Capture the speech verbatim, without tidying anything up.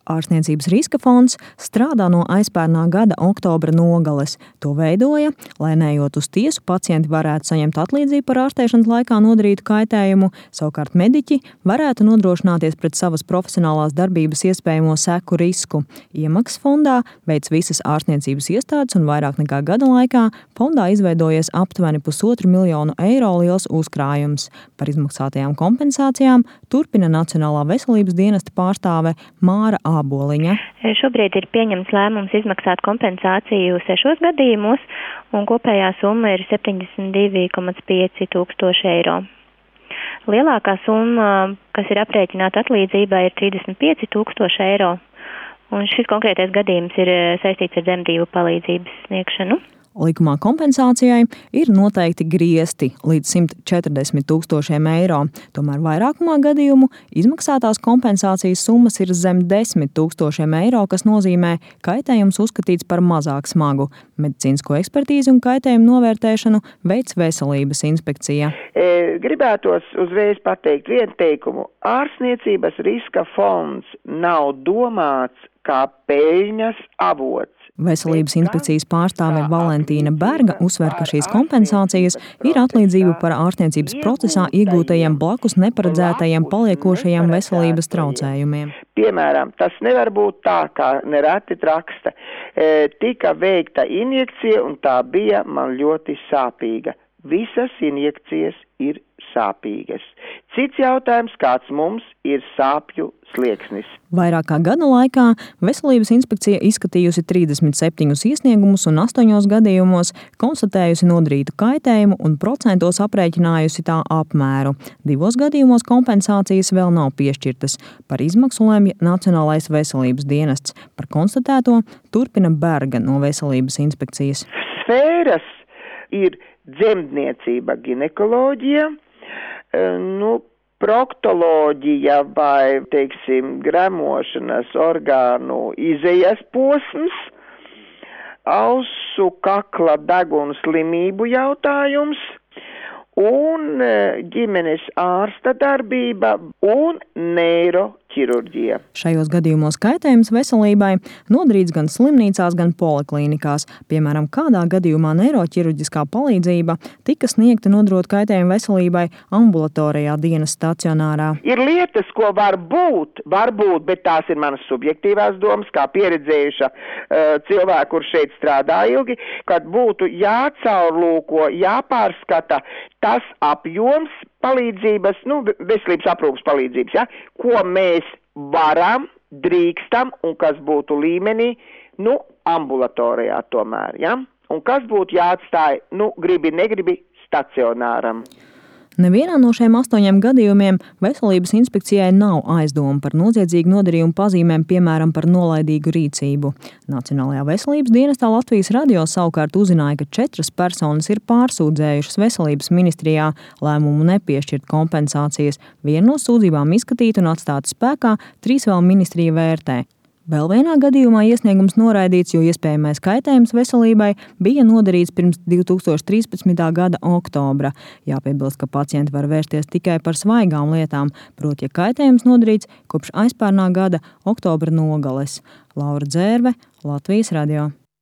Ārstniecības riska fonds strādā no aizpērnā gada oktobra nogales. To veidoja, lai neejot uz tiesu, pacienti varētu saņemt atlīdzību par ārstēšanas laikā nodarītu kaitējumu, savukārt mediķi varētu nodrošināties pret savas profesionālās darbības iespējamo seku risku. Iemaksas fondā veic visas ārstniecības iestādes un vairāk nekā gada laikā fondā izveidojies aptuveni pusotru miljonu eiro liels uzkrājums. Par izmaksātajām kompensācijām turpina Nacionālā veselības dienesta pārstāve Māra Āboliņa. Šobrīd ir pieņemts lēmums izmaksāt kompensāciju sešos gadījumos, un kopējā summa ir septiņdesmit divi komats pieci tūkstoši eiro. Lielākā summa, kas ir aprēķināta atlīdzībai, ir trīsdesmit pieci tūkstoši eiro, un šis konkrētais gadījums ir saistīts ar dzemdību palīdzības sniegšanu. Likumā kompensācijai ir noteikti griesti līdz simt četrdesmit tūkstošiem eiro. Tomēr vairākumā gadījumu izmaksātās kompensācijas summas ir zem desmit tūkstošiem eiro, kas nozīmē kaitējums uzskatīts par mazāk smagu. Medicīnisko ekspertīzi un kaitējumu novērtēšanu veic Veselības inspekcija. E, gribētos uzreiz pateikt vienu teikumu. Ārstniecības riska fonds nav domāts kā peļņas avots. Veselības inspekcijas pārstāve Valentīna Berga uzsver, ka šīs kompensācijas ir atlīdzība par ārstniecības procesā iegūtajiem blakus neparedzētajiem paliekošajiem veselības traucējumiem. Piemēram, tas nevar būt tā, kā nereti raksta. E, tika veikta injekcija un tā bija man ļoti sāpīga. Visas injekcijas ir sāpīgas. Cits jautājums, kāds mums ir sāpju slieksnis. Vairāk kā gada laikā Veselības inspekcija izskatījusi trīsdesmit septiņus iesniegumus un astoņos gadījumos konstatējusi nodarītu kaitējumu un procentos aprēķinājusi tā apmēru. Divos gadījumos kompensācijas vēl nav piešķirtas. Par izmaksu lemj Nacionālais veselības dienests. Par konstatēto turpina Berga no Veselības inspekcijas. Sfēras ir dzemdniecība, ginekoloģija, nu, proktoloģija vai, teiksim, gremošanas orgānu izejas posms, ausu kakla degunu slimību jautājums un ģimenes ārsta darbība un neiroķirurģija. Šajos gadījumos kaitējums veselībai nodarīts gan slimnīcās, gan poliklīnikās. Piemēram, kādā gadījumā neiroķirurģiskā palīdzība tika sniegta nodarot kaitējumu veselībai ambulatorijā dienas stacionārā. Ir lietas, ko var būt, var būt, bet tās ir manas subjektīvās domas, kā pieredzējuša uh, cilvēku, kur šeit strādā ilgi, kad būtu jācaurlūko, jāpārskata tas apjoms palīdzības, nu, veselības aprūpas palīdzības, ja, ko mēs varam, drīkstam un kas būtu līmenī, nu, ambulatorijā tomēr, ja, un kas būtu jāatstāj, nu, gribi, negribi stacionāram. Nevienā no šiem astoņiem gadījumiem Veselības inspekcijai nav aizdoma par noziedzīgu nodarījumu pazīmēm, piemēram, par nolaidīgu rīcību. Nacionālajā veselības dienestā Latvijas radio savukārt uzzināja, ka četras personas ir pārsūdzējušas Veselības ministrijā lēmumu nepiešķirt kompensācijas. Viena no sūdzībām izskatīta un atstāta spēkā, trīs vēl ministrija vērtē. Vēl vienā gadījumā iesniegums noraidīts, jo iespējamais kaitējums veselībai bija nodarīts pirms divi tūkstoši trīspadsmitā gada oktobra. Jāpiebilst, ka pacienti var vērsties tikai par svaigām lietām, proti, ja kaitējums nodarīts kopš aizpērnā gada oktobra nogales. Laura Dzērve, Latvijas radio.